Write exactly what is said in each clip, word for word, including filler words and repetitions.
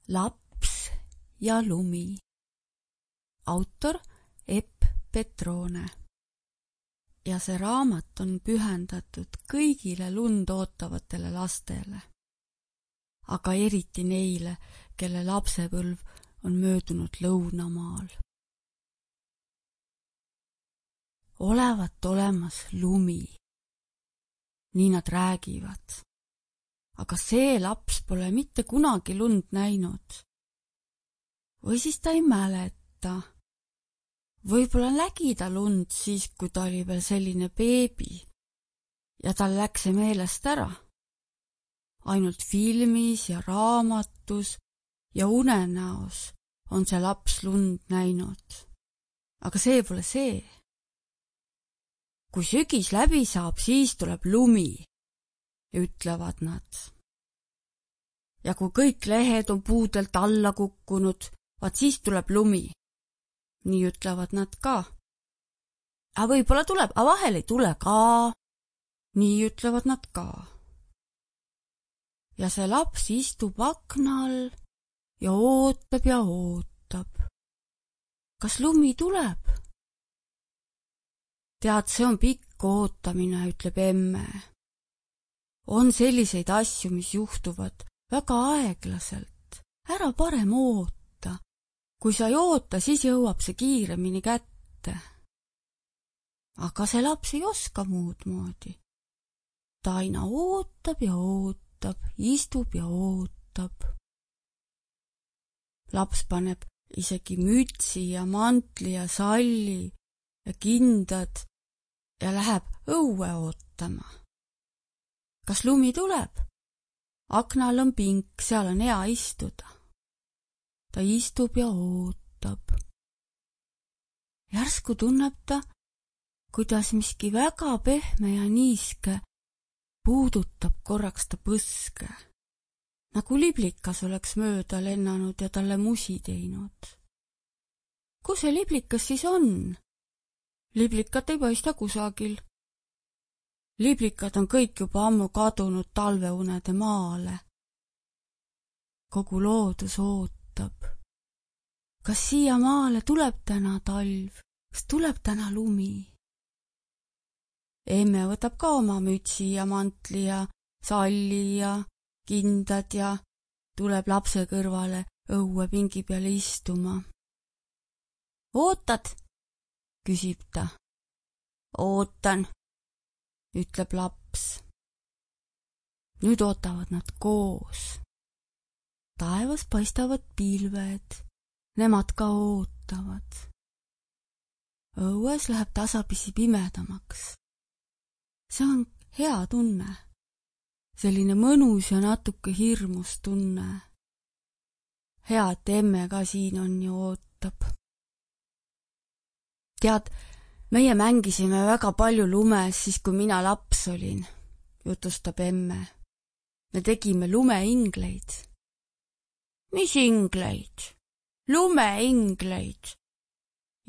Laps ja lumi. Autor Epp Petrone. Ja see raamat on pühendatud kõigile lund ootavatele lastele. Aga eriti neile, kelle lapsepõlv on möödunud lõunamaal. Olevat olemas lumi. Nii nad räägivad. Aga see laps pole mitte kunagi lund näinud. Või siis ta ei mäleta. Võib-olla nägi ta lund siis, kui ta oli veel selline beebi ja tal läks see meelest ära. Ainult filmis ja raamatus ja unenäos on see laps lund näinud. Aga see pole see. Kui sügis läbi saab, siis tuleb lumi, ütlevad nad. Ja kui kõik lehed on puudelt alla kukkunud, vaat siis tuleb lumi. Nii ütlevad nad ka. A võib-olla tuleb, a vahel ei tule ka. Nii ütlevad nad ka. Ja see laps istub aknal ja ootab ja ootab. Kas lumi tuleb? Tead, see on pikk ootamine, ütleb emme. On selliseid asju, mis juhtuvad väga aeglaselt. Ära parem oota. Kui sa ei oota, siis jõuab see kiiremini kätte. Aga see laps ei oska muud moodi. Ta aina ootab ja ootab, istub ja ootab. Laps paneb isegi mütsi ja mantli ja salli ja kindad ja läheb õue ootama. Kas lumi tuleb? Aknal on pink, seal on hea istuda. Ta istub ja ootab. Järsku tunneb ta, kuidas miski väga pehme ja niiske puudutab korraks ta põske. Nagu liblikas oleks mööda lennanud ja talle musi teinud. Kus see liblikas siis on? Liblikat ei paista kusagil. Liblikad on kõik juba ammu kadunud talveunede maale. Kogu loodus ootab. Kas siia maale tuleb täna talv? Kas tuleb täna lumi? Emme võtab ka oma mütsi ja mantli ja salli ja kindad ja tuleb lapse kõrvale õue pingi peale istuma. Ootad? Küsib ta. Ootan, ütleb laps. Nüüd ootavad nad koos. Taevas paistavad pilved, nemad ka ootavad. Õues läheb tasapisi pimedamaks. See on hea tunne. Selline mõnus ja natuke hirmus tunne. Hea, et emme ka siin on ja ootab. Tead, meie mängisime väga palju lumes siis, kui mina laps olin, jutustab emme. Me tegime lumeingleid. Mis ingleid? Lumeingleid,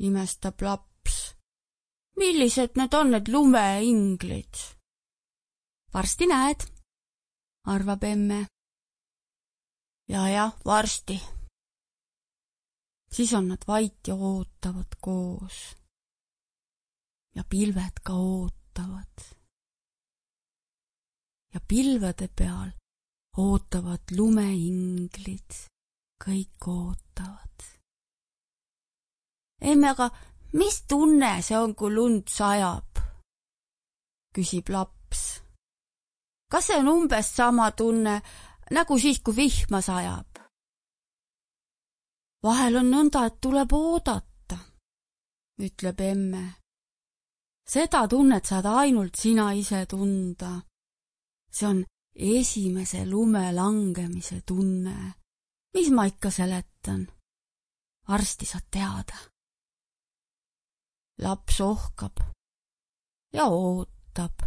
imestab laps. Millised need on need lumeinglid? Varsti näed, arvab emme. Ja, ja, varsti. Siis on nad vait ja ootavad koos. Ja pilved ka ootavad. Ja pilvede peal ootavad lumeinglid. Kõik ootavad. Emme, aga mis tunne see on, kui lund sajab? Küsib laps. Kas see on umbes sama tunne, nagu siis, kui vihma sajab? Vahel on nõnda, et tuleb oodata, ütleb emme. Seda tunnet saad ainult sina ise tunda. See on esimese lume langemise tunne. Mis ma ikka seletan? Varsti saad teada. Laps ohkab ja ootab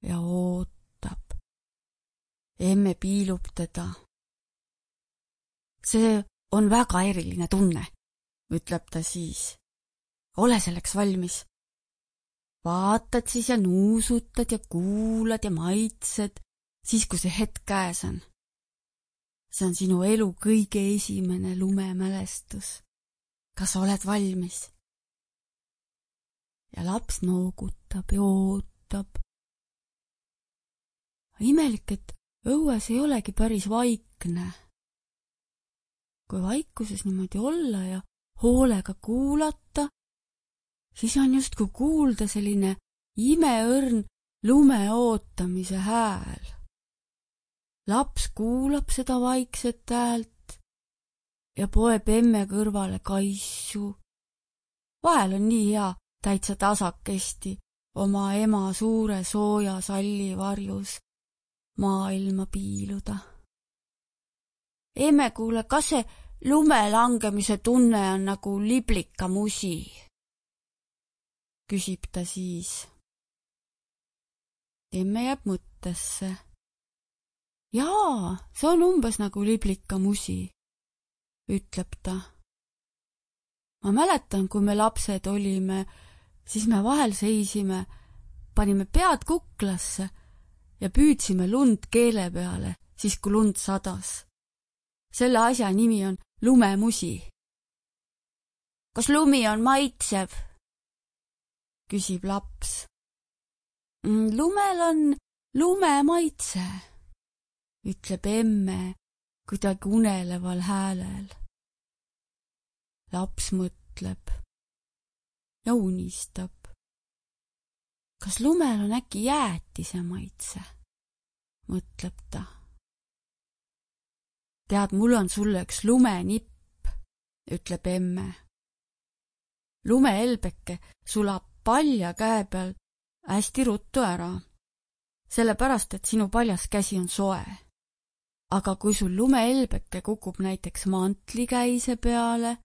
ja ootab. Emme piilub teda. See on väga eriline tunne, ütleb ta siis. Ole selleks valmis. Vaatad siis ja nuusutad ja kuulad ja maitsed, siis kui see hetk käes on. see on sinu elu kõige esimene lumemälestus. Kas oled valmis? Ja laps noogutab ja ootab. Imelik, et õues ei olegi päris vaikne. Kui vaikuses niimoodi olla ja hoolega kuulata, siis on justkui kuulda selline imeõrn lume ootamise hääl. Laps kuulab seda vaikset häält ja poeb emme kõrvale kaisu. Vahel on nii hea täitsa tasakesti oma ema suure sooja salli varjus maailma piiluda. Emme, kuule, kas see lume langemise tunne on nagu liblika musi? Küsib ta siis. Emme jääb mõttesse. Jaa, see on umbes nagu liblika musi, ütleb ta. Ma mäletan, kui me lapsed olime, siis me vahel seisime, panime pead kuklasse ja püüdsime lund keele peale, siis kui lund sadas. Selle asja nimi on lumemusi. Kas lumi on maitsev? Küsib laps. Lumel on lume maitse, ütleb emme kuidagi uneleval häälel. Laps mõtleb ja unistab. Kas lumel on äkki jäätise maitse? Mõtleb ta. Tead, mul on sulle üks lumenipp, ütleb emme. Lumeelbeke sulab palja käe peal hästi ruttu ära, sellepärast, et sinu paljas käsi on soe. Aga kui sul lumeelbeke kukub näiteks mantlikäise peale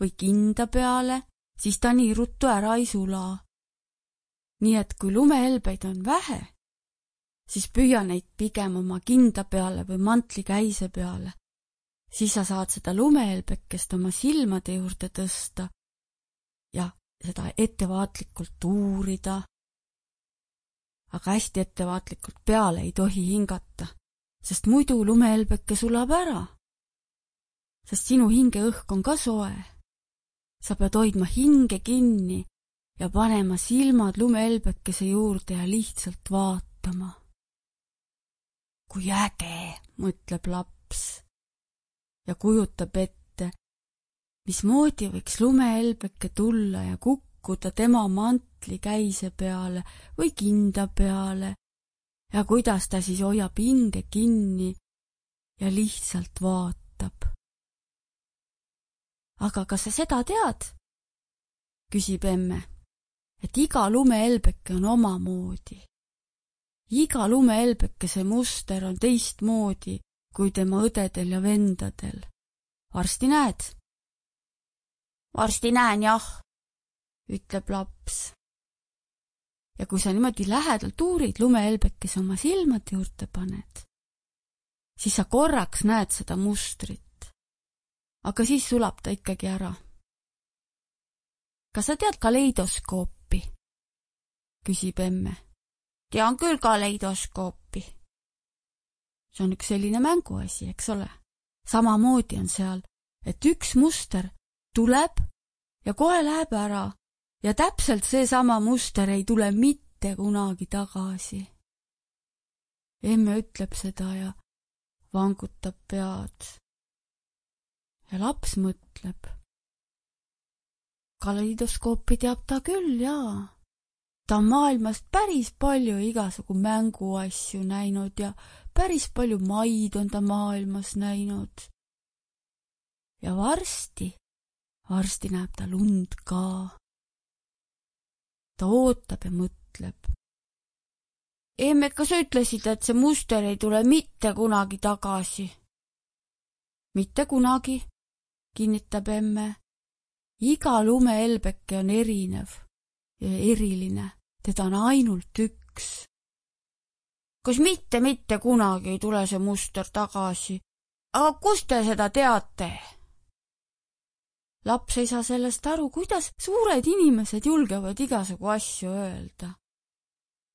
või kinda peale, siis ta nii ruttu ära ei sula. Nii et kui lumeelbeid on vähe, siis püüa neid pigem oma kinda peale või mantlikäise peale. Siis sa saad seda lumeelbekest oma silmade juurde tõsta ja seda ettevaatlikult uurida. Aga hästi ettevaatlikult peale ei tohi hingata, sest muidu lumeelbeke sulab ära. Sest sinu hingeõhk on ka soe. Sa pead hoidma hinge kinni ja panema silmad lumeelbekese juurde ja lihtsalt vaatama. Kui äge, mõtleb laps ja kujutab ette, mismoodi võiks lumeelbeke tulla ja kukkuda tema mantlikäise peale või kinda peale ja kuidas ta siis hoiab hinge kinni ja lihtsalt vaatab. Aga kas sa seda tead? Küsib emme, et iga lumeelbeke on omamoodi. Iga lumeelbekese muster on teistmoodi kui tema õdedel ja vendadel. Varsti näed? Varsti näen, jah, ütleb laps. Ja kui sa niimoodi lähedalt uurid lumeelbekese oma silmad juurde paned, siis sa korraks näed seda mustrit. Aga siis sulab ta ikkagi ära. Kas sa tead kaleidoskoopi? Küsib emme. Tean küll kaleidoskoopi. See on üks selline mänguasi, eks ole. Samamoodi on seal, et üks muster tuleb ja kohe läheb ära ja täpselt see sama muster ei tule mitte kunagi tagasi. Emme ütleb seda ja vangutab pead. Ja laps mõtleb. Kaleidoskoopi teab ta küll, jaa. Ta on maailmast päris palju igasugu mänguasju näinud ja päris palju maid on ta maailmas näinud. Ja varsti, varsti näeb ta lund ka. Ta ootab ja mõtleb. Emme, kas sa ütlesid, et see muster ei tule mitte kunagi tagasi? Mitte kunagi, kinnitab emme. Iga lumeelbeke on erinev ja eriline. Teda on ainult üks. Kas mitte, mitte kunagi ei tule see muster tagasi? Aga kust te seda teate? Laps ei saa sellest aru, kuidas suured inimesed julgevad igasugu asju öelda.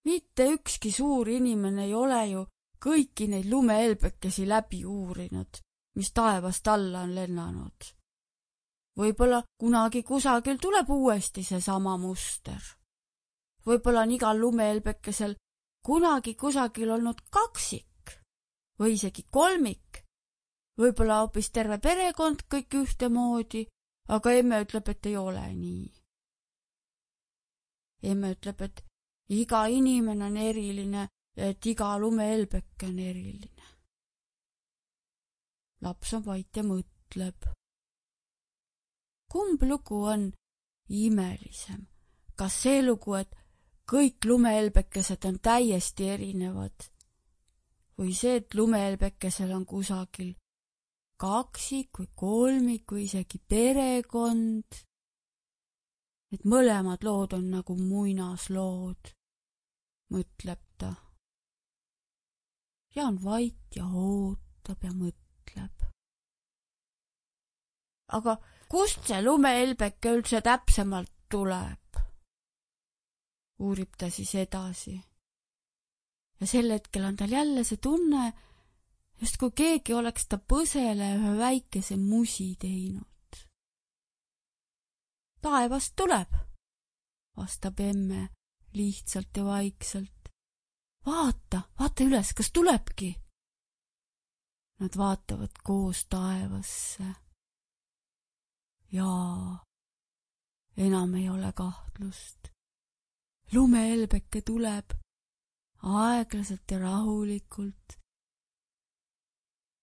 Mitte ükski suur inimene ei ole ju kõiki neid lumehelbekesi läbi uurinud, mis taevast alla on lennanud. Võib-olla kunagi kusagil tuleb uuesti see sama muster. Võib-olla on igal lumehelbekesel kunagi kusagil olnud kaksik või isegi kolmik. Võib-olla hoopis terve perekond kõik ühtemoodi, aga emme ütleb, et ei ole nii. Emme ütleb, et iga inimene on eriline ja et iga lumehelbeke on eriline. Laps on vait ja mõtleb. Kumb lugu on imelisem? Kas see lugu, et kõik lumehelbekesed on täiesti erinevad? Või see, et lumehelbekesel on kusagil kaksik või kolmik või isegi perekond? Et mõlemad lood on nagu muinaslood, mõtleb ta. Ja on vait ja ootab ja mõtleb. Aga kust see lumehelbeke üldse täpsemalt tuleb? Uurib ta siis edasi. Ja sel hetkel on tal jälle see tunne, just kui keegi oleks ta põsele ühe väikese musi teinud. Taevast tuleb, vastab emme lihtsalt ja vaikselt. Vaata, vaata üles, kas tulebki? Nad vaatavad koos taevasse. Jaa, enam ei ole kahtlust. Lumehelbeke tuleb aeglaselt ja rahulikult.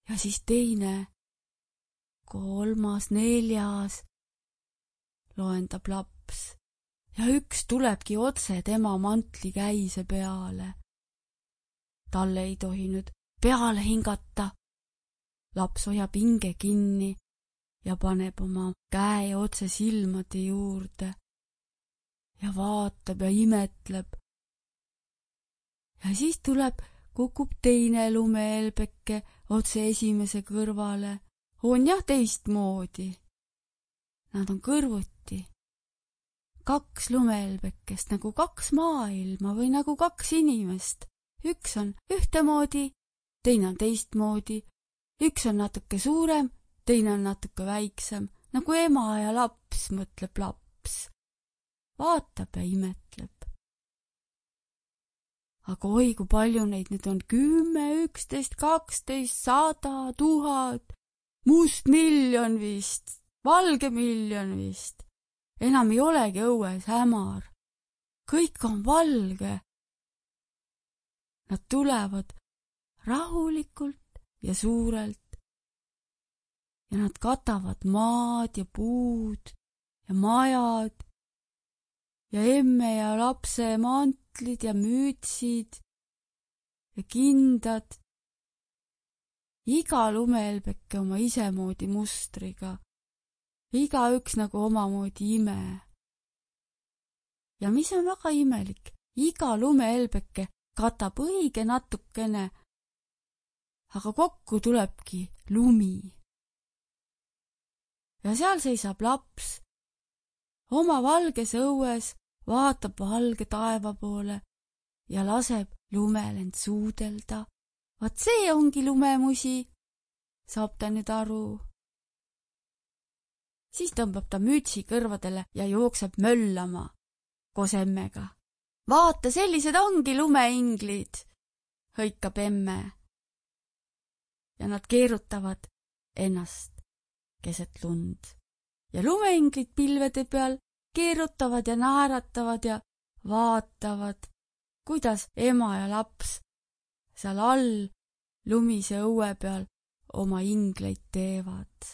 Ja siis teine, kolmas, neljas loendab laps ja üks tulebki otse tema mantli käise peale. Talle ei tohi nüüd peale hingata. Laps hoiab hinge kinni ja paneb oma käe otse silmade juurde ja vaatab ja imetleb. Ja siis tuleb, kukub teine lumehelbeke otse esimese kõrvale. On jah teistmoodi. Nad on kõrvuti. Kaks lumehelbekest nagu kaks maailma või nagu kaks inimest. Üks on ühtemoodi, teine on teistmoodi. Üks on natuke suurem, teine on natuke väiksem. Nagu ema ja laps, mõtleb laps. Vaatab ja imetleb. Aga oi, kui palju neid nüüd on kümme, üksteist, kaksteist, sada, tuhat, must miljon vist, valge miljon vist. Enam ei olegi õues hämar. Kõik on valge. Nad tulevad rahulikult ja suurelt ja nad katavad maad ja puud ja majad ja emme ja lapse mantlid ja mütsid ja kindad. Iga lumehelbeke oma isemoodi mustriga. Iga üks nagu omamoodi ime. Ja mis on väga imelik, iga lumehelbeke katab õige natukene, aga kokku tulebki lumi. Ja seal seisab laps, oma valges õues vaatab valge taeva poole ja laseb lumel end suudelda. Vaat see ongi lumemusi, saab ta nüüd aru. Siis tõmbab ta mütsi kõrvadele ja jookseb möllama koos emmega. Vaata, sellised ongi lumeinglid, hõikab emme. Ja nad keerutavad ennast keset lund. Ja lumeinglid pilvede peal keerutavad ja naeratavad ja vaatavad, kuidas ema ja laps seal all lumise õue peal oma ingleid teevad.